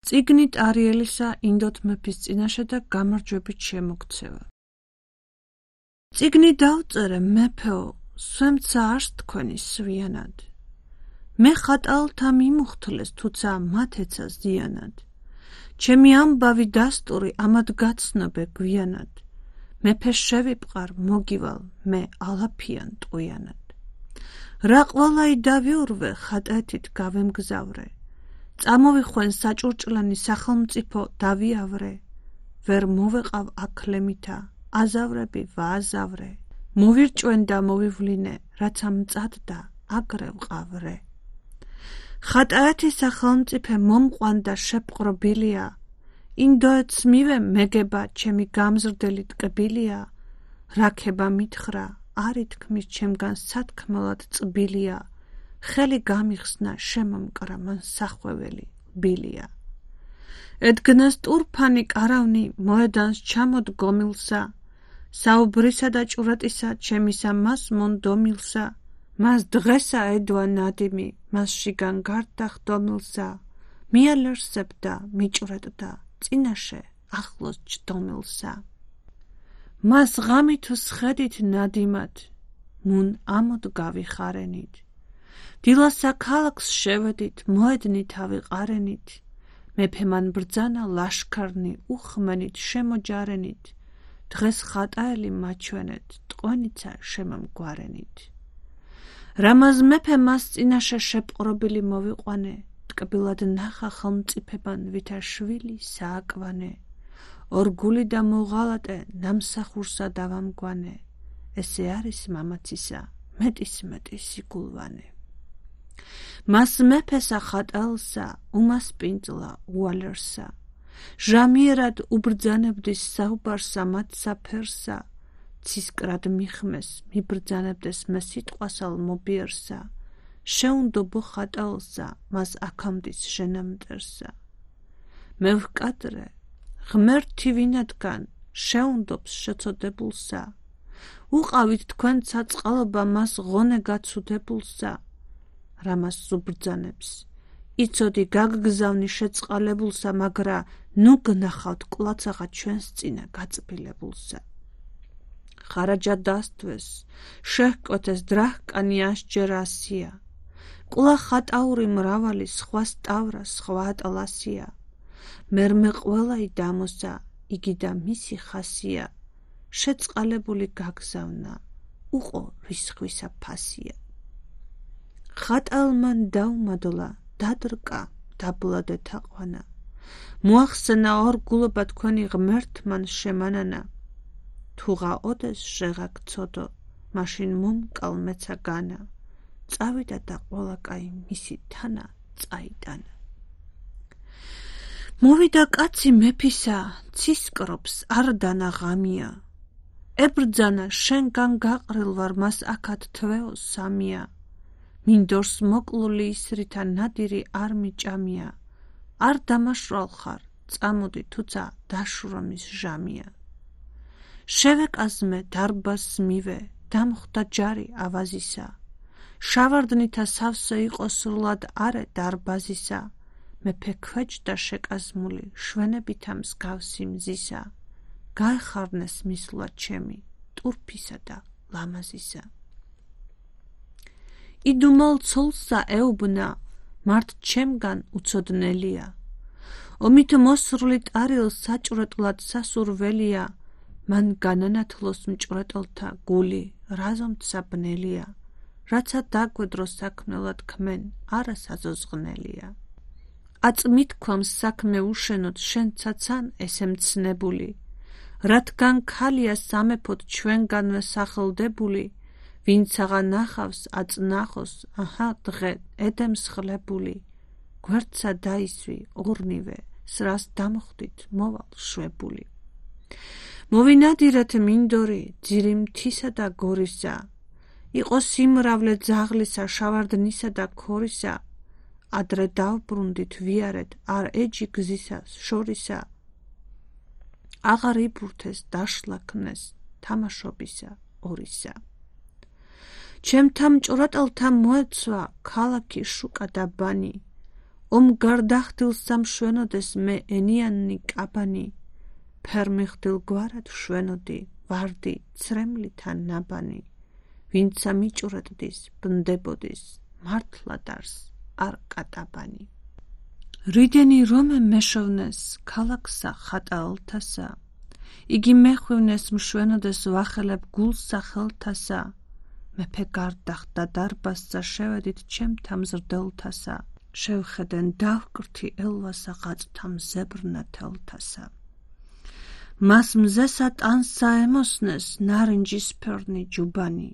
წიგნით არიელისა ინდოთ მეფის წინაშე და გამარჯვებით შემოქცევა. წიგნი დავწერე მეფეო, სვემცა არს თქვენი სვიანად. მე ხატალთა მიმუხთლეს, თუცა მათ ეცა ზიანად. ჩემი ამბავი დასტური ამად გაცნობე გვიანად. მეფე შევიპყარ მოგივალ მე ალაფიან ტყვიანად. რა ყვალაი დავიურვე ხატეთით გავემგზავრე. წამოვიხვენ საჭურჭლანი სახელმწიფო დავიავრე. ვერ მოვეყავ აქლემითა აზავრები ვააზავრე. მოვირჭვენ და მოვივლინე, რაც ამწადდა აგრე ვყავრე. ხატაეთის სახელმწიფე მომყვანდა შეპყრობილია. ინდოეთს მივე მეგება ჩემი გამზრდელი ტკბილია. რაქება მითხრა არ ითქმის ჩემგან სათქმელად წბილია. ხელი გამიხსნა შემომკრა მან სახვეველი ბილია. ედგნას ტურფანი კარავნი მოედანს ჩამოდგომილსა. საუბრისა და ჭურატისა ჩემისა მას მონდომილსა. მას დღესა ედვა ნადიმი, მას შიგან გარდა ხდომილსა. მიალერსებდა, მიჭვრეტდა, წინაშე ახლოს ჯდომილსა. მას ღამი თუ სხედით ნადიმად, მუნ ამოდ გავიხარენით. დილასა ქალაქს შევედით, მოედნით ავიყარენით. მეფე მან ბრძანა ლაშქარნი უხმენით შემოჯარენით. დღეს ხატაელი მაჩვენეთ, ტყვენიცა შემომგვარენით. რამაზ მეფე მას წინაშე შეპყრობილი მოვიყვანე. ტკბილად ნახა ხელმწიფებან ვითა შვილი სააკვანე. ორგული და მოღალატე ნამსახურსა დავამგვანე. ესე არის მამაცისა მეტის სიგულვანე. მას მეფესა ხატალსა უმასპინძლა უალერსა. ჟამიერად უბრძანებდის საუბარსა მათ საფერსა. ცისკრად მიხმეს მიბრძანებდეს მე სიტყვასალ მობიერსა. შეუნდობო ხატალსა მას აქამდის ჟენამტერსა. მე ვკადრე ღმერთი ვინადგან შეუნდობს შეწოდებულსა. უყავით თქვენ საწყალობა მას ღონე გაცუდებულსა. რამას უბრძანებს იცოდი გაგგზავნი შეწყალებულსა, მაგრა ნუ გნახავთ კლაცაღა ჩვენს წინა გაწბილებულსა. ხარაჯა დასთვეს, შეჰკვეთეს დრაჰკანი ასჯერ ასია. კულა ხატაური მრავალი სხვა სტავრა, სხვა ატლასია. მერმე ყველაი დამოსა, იგი და მისი ხასია. შეწყალებული გაგზავნა, უყო რისხვისა ფასია. ხატალმან დაუმადლა, დადრკა, დაბლადე თაყვანა. მოახსენა ორგულობა თქვენი ღმერთმან შემანანა. თუღა ოდეს შეღაქცოდო, მაშინ მომკალ მეცა განა. წავიდა და ყველა კაი მისი თანა წაიტანა. მოვიდა კაცი მეფისა, ცისკრობს არ დანა ღამია. ებრძანა შენგან გაყრილ ვარ მას აქად თვეო სამია. მინდორს მოკლული ისრითა ნადირი არ მიჭამია. არ დამაშრალ ხარ, წამოდი თუცა დაშრომის ჟამია. შევეკაზმე დარბაზს მივე, დამხვდა ჯარი ავაზისა. შავარდნითა სავსე იყო სრულად არე დარბაზისა. მეფე ქვეჯდა შეკაზმული, შვენებითა მსგავსი მზისა. გაეხარნეს მისვლა ჩემი, ტურფისა და ლამაზისა. იდუმალ ცოლსა ეუბნა, მართ ჩემგან უცოდნელია. ომით მოსრული ტარილ საჭვრეტლად სასურველია. მან განანათლოს მჭვრეტელთა გული, რაზომცა ბნელია. რაცა დაგვედრო საქმნელად ქმენ, არა საზოზღნელია. აწმითქვამს საქმე უშენოდ შენცაცან ესე მცნებული. რადგან ქალია სამეფოდ ჩვენგანვე სახელდებული. ვინცაღა ნახავს აწნახოს, აჰა დღე ედემსხლებული. გვერდსა დაისვი ორნივე, სრას დამხვდით მოვალ შვებული. მოვინადირეთ მინდორი, ძირი მთისა და გორისა. იყო სიმრავლე ძაღლისა, შავარდნისა და ქორისა. ადრე დავბრუნდით ვიარეთ, არ ეჯი გზისას შორისა. აღარ იბურთეს დაშლაქნეს, თამაშობისა ორისა. ჩემთა მჭვრეტელთა მოეცვა, ქალაქი შუკა და ბანი. ომგარდახდილ სამშვენოდეს მე ენიანი კაბანი, ფერმიხდილ გვარად შვენოდი, ვარდი ცრემლითან ნაბანი, ვინცა მიჭურეთდის, ბნდებოდის, მართლადარს არ კატაბანი. რიდენი რომე მეშოვნეს ქალაქსა ხატაალთასა, იგი მეხვივნეს მშვენოდეს ვახელებ გულსა ხელთასა, მეფე გარდახდა დარბაზსა შევედით ჩემთა მზრდელთასა, შევხედენ დავკრთი ელვასა ღაწვთა მზებრნა თელთასა. მას მზესა ტანსა ემოსნეს ნარინჯისფერნი ჯუბანი,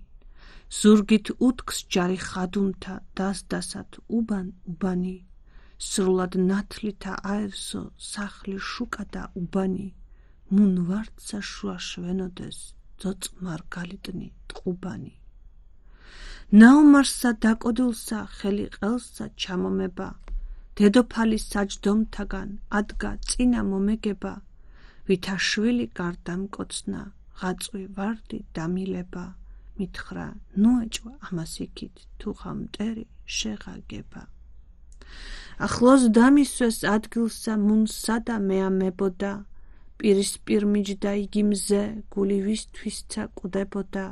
ზურგით უთქს ჯარი ხადუნთა დასდასად უბანი, სრულად ნათლითა აევსო სახლი შუკა და უბანი, მუნ ვარდსა შუა შვენოდეს ძოწ მარგალიტნი ტყუბანი. ნაომარსა დაკოდულსა ხელი ყელსა ჩამომება, დედოფალის საჯდომთაგან ადგა წინა მომეგება, ვითა შვილი გარდამკოცნა, ღაწვი ვარდი დამილება, მითხრა ნუეჭვა ამას იქით, თუ ხამტერი შეღაგება. ახლოს დამისვეს ადგილსა მუნსა და მეამებოდა, პირისპირ მიჯდა იგი მზე, გული ვისთვისცა კვდებოდა,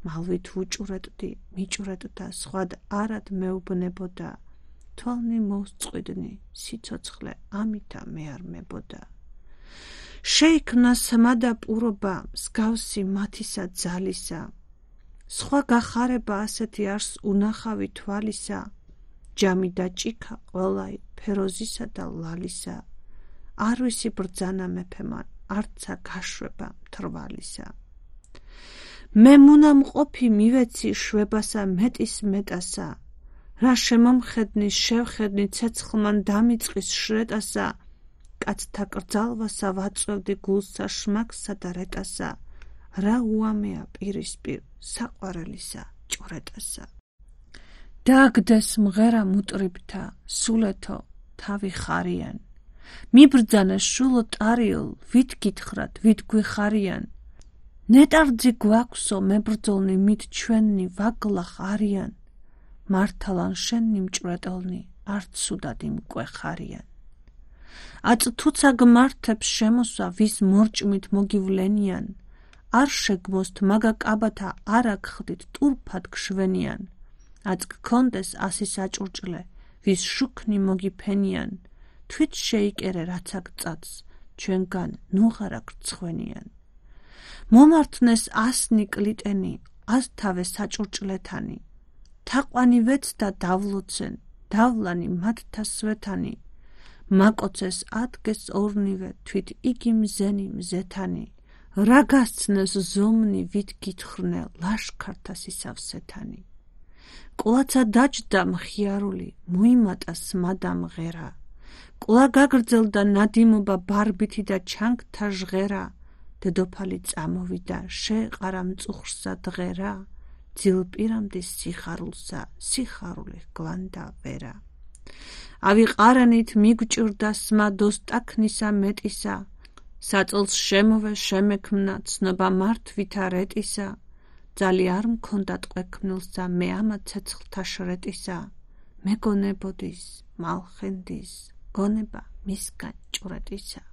მალვით ვუჭურეთდი, მიჭურეთდა, სხვად არად მეუბნებოდა, თვალნი მოვსწყვიდნი, სიცოცხლე ამითა მეარმებოდა. შეიქმნა სმადა პურობა, მსგავსი მათისა ძალისა, სხვა გახარება ასეთი არს უნახავი თვალისა, ჯამი და ჭიქა ყველაი ფეროზისა და ლალისა, არ ვისი ბრძანა მეფემან, არცა გაშვება მთრვალისა. მე მუნამყოფი მივეცი შვებასა მეტის მეტასა, რა შემომხედნის შევხედნი ცეცხლმან დამიწყის შრეტასა, კაცთა კრძალვასა ვაწვევდი გულსა შმაგსა და რეტასა, რა უამეა პირისპირ საყვარელისა ჭვრეტასა. დააგდეს მღერა მუტრიბთა, სულეთო თავი ხარიან, მიბრძანეს შულო ტარიელ, ვით გითხრათ, ვით გვიხარიან, ნეტარძი გვაქვსო მებრძოლნი მით ჩვენნი ვაგლახ არიან, მართალან შენნი მჭვრეტელნი არც სუდადი მკვეხარიან. აწ თუცა გმართებს შემოსვა ვის მორჭმით მოგივლენიან, არ შეგმოსთ მაგა კაბათა არა გხდით ტურფად გშვენიან, აწ გქონდეს ასი საჭურჭლე ვის შუქნი მოგიფენიან, თვით შეიკერე რაცა გწადს ჩვენგან ნუღარა გრცხვენიან. მომართნეს ასნი კლიტენი, ასთავე საჭურჭლეთანი, თაყვანი ვეცდა დავლოცენ, დავლანი მათთა სვეთანი, მაკოცეს ადგეს ორნივე თვით იგი მზენი მზეთანი, რა გასცნეს ზომნი ვით გითხრნე ლაშქართა სისავსეთანი. ყლაცა დაჯდა მხიარული, მოიმატა სმადა მღერა, ყლა გაგრძელდა ნადიმობა ბარბითი და ჩანგთა ჟღერა, დედოფალი წამოვიდა შეეყარა მწუხრსა დღერა, ძილპირამდის სიხარულსა სიხარული გლანდა ვერა. ავიყარანით მიგჭირდა სმა დოსტაქნისა მეტისა, საწოლს შემოვე შემექმნა ცნობა მართვითა რეტისა, ძალი არ მქონდა ტყვექმნილსა მე ამა ცეცხლთა შრეტისა, მეგონებოდის მალხენდის, გონება მისგან ჭვრეტისა.